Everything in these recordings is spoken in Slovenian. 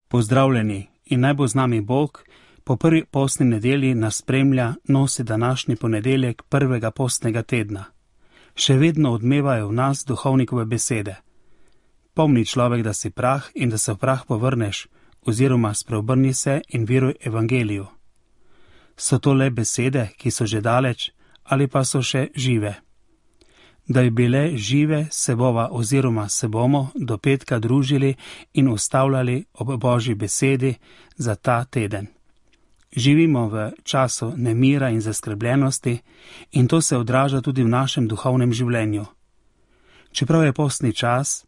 Pozdravljeni in naj bo z nami Bog. Po prvi postni nedelji nas spremlja, nosi današnji ponedeljek prvega postnega tedna. Še vedno odmevajo v nas duhovnikove besede. Pomni človek, da si prah in da se v prah povrneš, oziroma spreobrni se in veruj evangeliju. So to le besede, ki so že daleč, ali pa so še žive? Da bi bile žive, se bova oziroma se bomo do petka družili in ustavljali ob Božji besedi za ta teden. Živimo v času nemira in zaskrbljenosti in to se odraža tudi v našem duhovnem življenju. Čeprav je postni čas,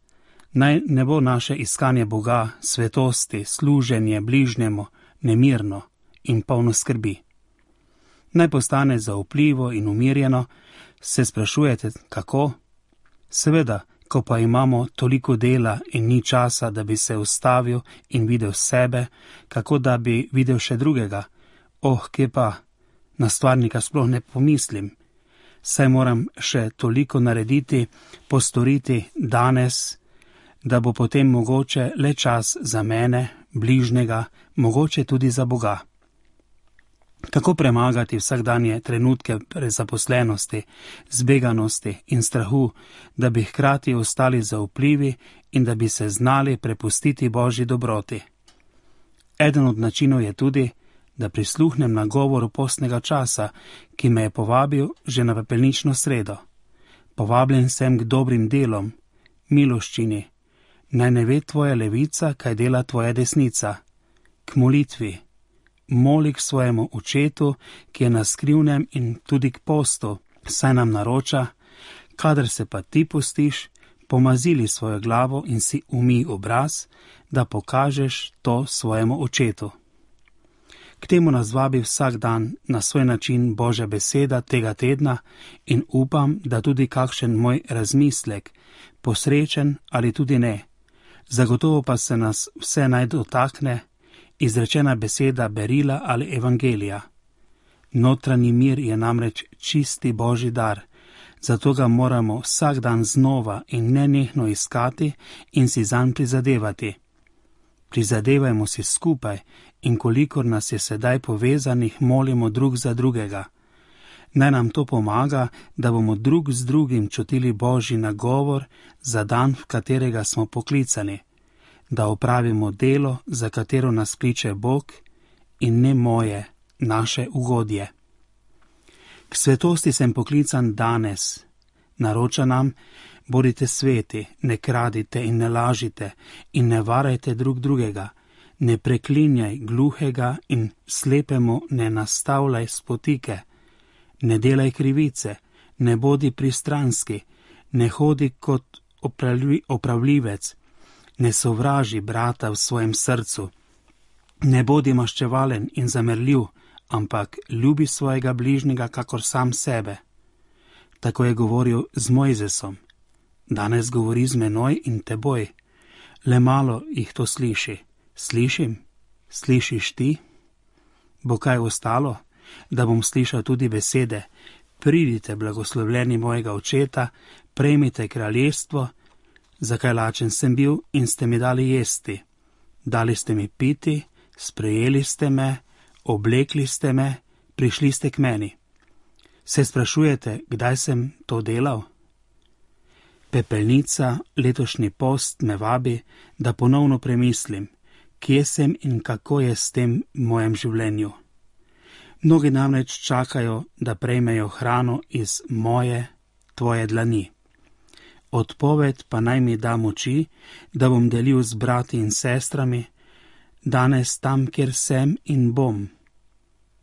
naj ne bo naše iskanje Boga, svetosti, služenje bližnjemu nemirno in polno skrbi. Naj postane zaupljivo in umirjeno. Se sprašujete, kako? Seveda, ko pa imamo toliko dela in ni časa, da bi se ustavil in videl sebe, kako da bi videl še drugega. Kje pa? Na stvarnika sploh ne pomislim. Saj moram še toliko narediti, postoriti danes, da bo potem mogoče le čas za mene, bližnjega, mogoče tudi za Boga. Kako premagati vsakdanje trenutke prezaposlenosti, zbeganosti in strahu, da bi hkrati ostali zaupljivi in da bi se znali prepustiti Božji dobroti? Eden od načinov je tudi, da prisluhnem na govoru postnega časa, ki me je povabil že na pepelnično sredo. Povabljen sem k dobrim delom, miloščini. Naj ne ve tvoja levica, kaj dela tvoja desnica. K molitvi. Moli k svojemu očetu, ki je na skrivnem, in tudi k postu, saj nam naroča, kadar se pa ti postiš, pomazili svojo glavo in si umij obraz, da pokažeš to svojemu očetu. K temu nas vabi vsak dan na svoj način Božja beseda tega tedna in upam, da tudi kakšen moj razmislek, posrečen ali tudi ne. Zagotovo pa se nas vse naj dotakne izrečena beseda berila ali evangelija. Notranji mir je namreč čisti Božji dar, zato ga moramo vsak dan znova in nenehno iskati in si zanj prizadevati. Prizadevajmo si skupaj in kolikor nas je sedaj povezanih, molimo drug za drugega. Naj nam to pomaga, da bomo drug z drugim čutili Božji nagovor za dan, v katerega smo poklicani, da opravimo delo, za katero nas kliče Bog in ne moje, naše ugodje. K svetosti sem poklican danes. Naroča nam, bodite sveti, ne kradite in ne lažite in ne varajte drug drugega, ne preklinjaj gluhega in slepemu ne nastavljaj spotike, ne delaj krivice, ne bodi pristranski, ne hodi kot opravljivec, ne sovraži brata v svojem srcu, ne bodi maščevalen in zamerljiv, ampak ljubi svojega bližnjega kakor sam sebe. Tako je govoril z Mojzesom. Danes govori z menoj in teboj. Le malo jih to sliši. Slišim? Slišiš ti? Bo kaj ostalo? Da bom slišal tudi besede: pridite, blagoslovljeni mojega očeta, prejmite kraljestvo. Zakaj lačen sem bil in ste mi dali jesti? Dali ste mi piti, sprejeli ste me, oblekli ste me, prišli ste k meni. Se sprašujete, kdaj sem to delal? Pepelnica, letošnji post me vabi, da ponovno premislim, kje sem in kako je s tem v mojem življenju. Mnogi namreč čakajo, da prejmejo hrano iz moje, tvoje dlani. Odpoved pa naj mi da moči, da bom delil z brati in sestrami, danes tam, kjer sem in bom.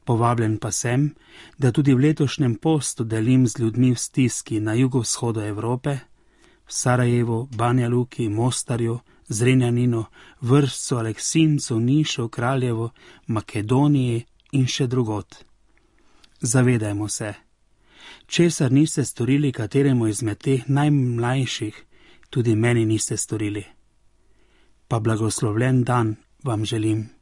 Povabljen pa sem, da tudi v letošnjem postu delim z ljudmi v stiski na jugovzhodu Evrope, v Sarajevu, Banja Luki, Mostarju, Zrenjaninu, Vršcu, Aleksincu, Nišu, Kraljevu, Makedoniji in še drugod. Zavedajmo se, česar niste storili kateremu izmed teh najmlajših, tudi meni niste storili. Pa blagoslovljen dan vam želim.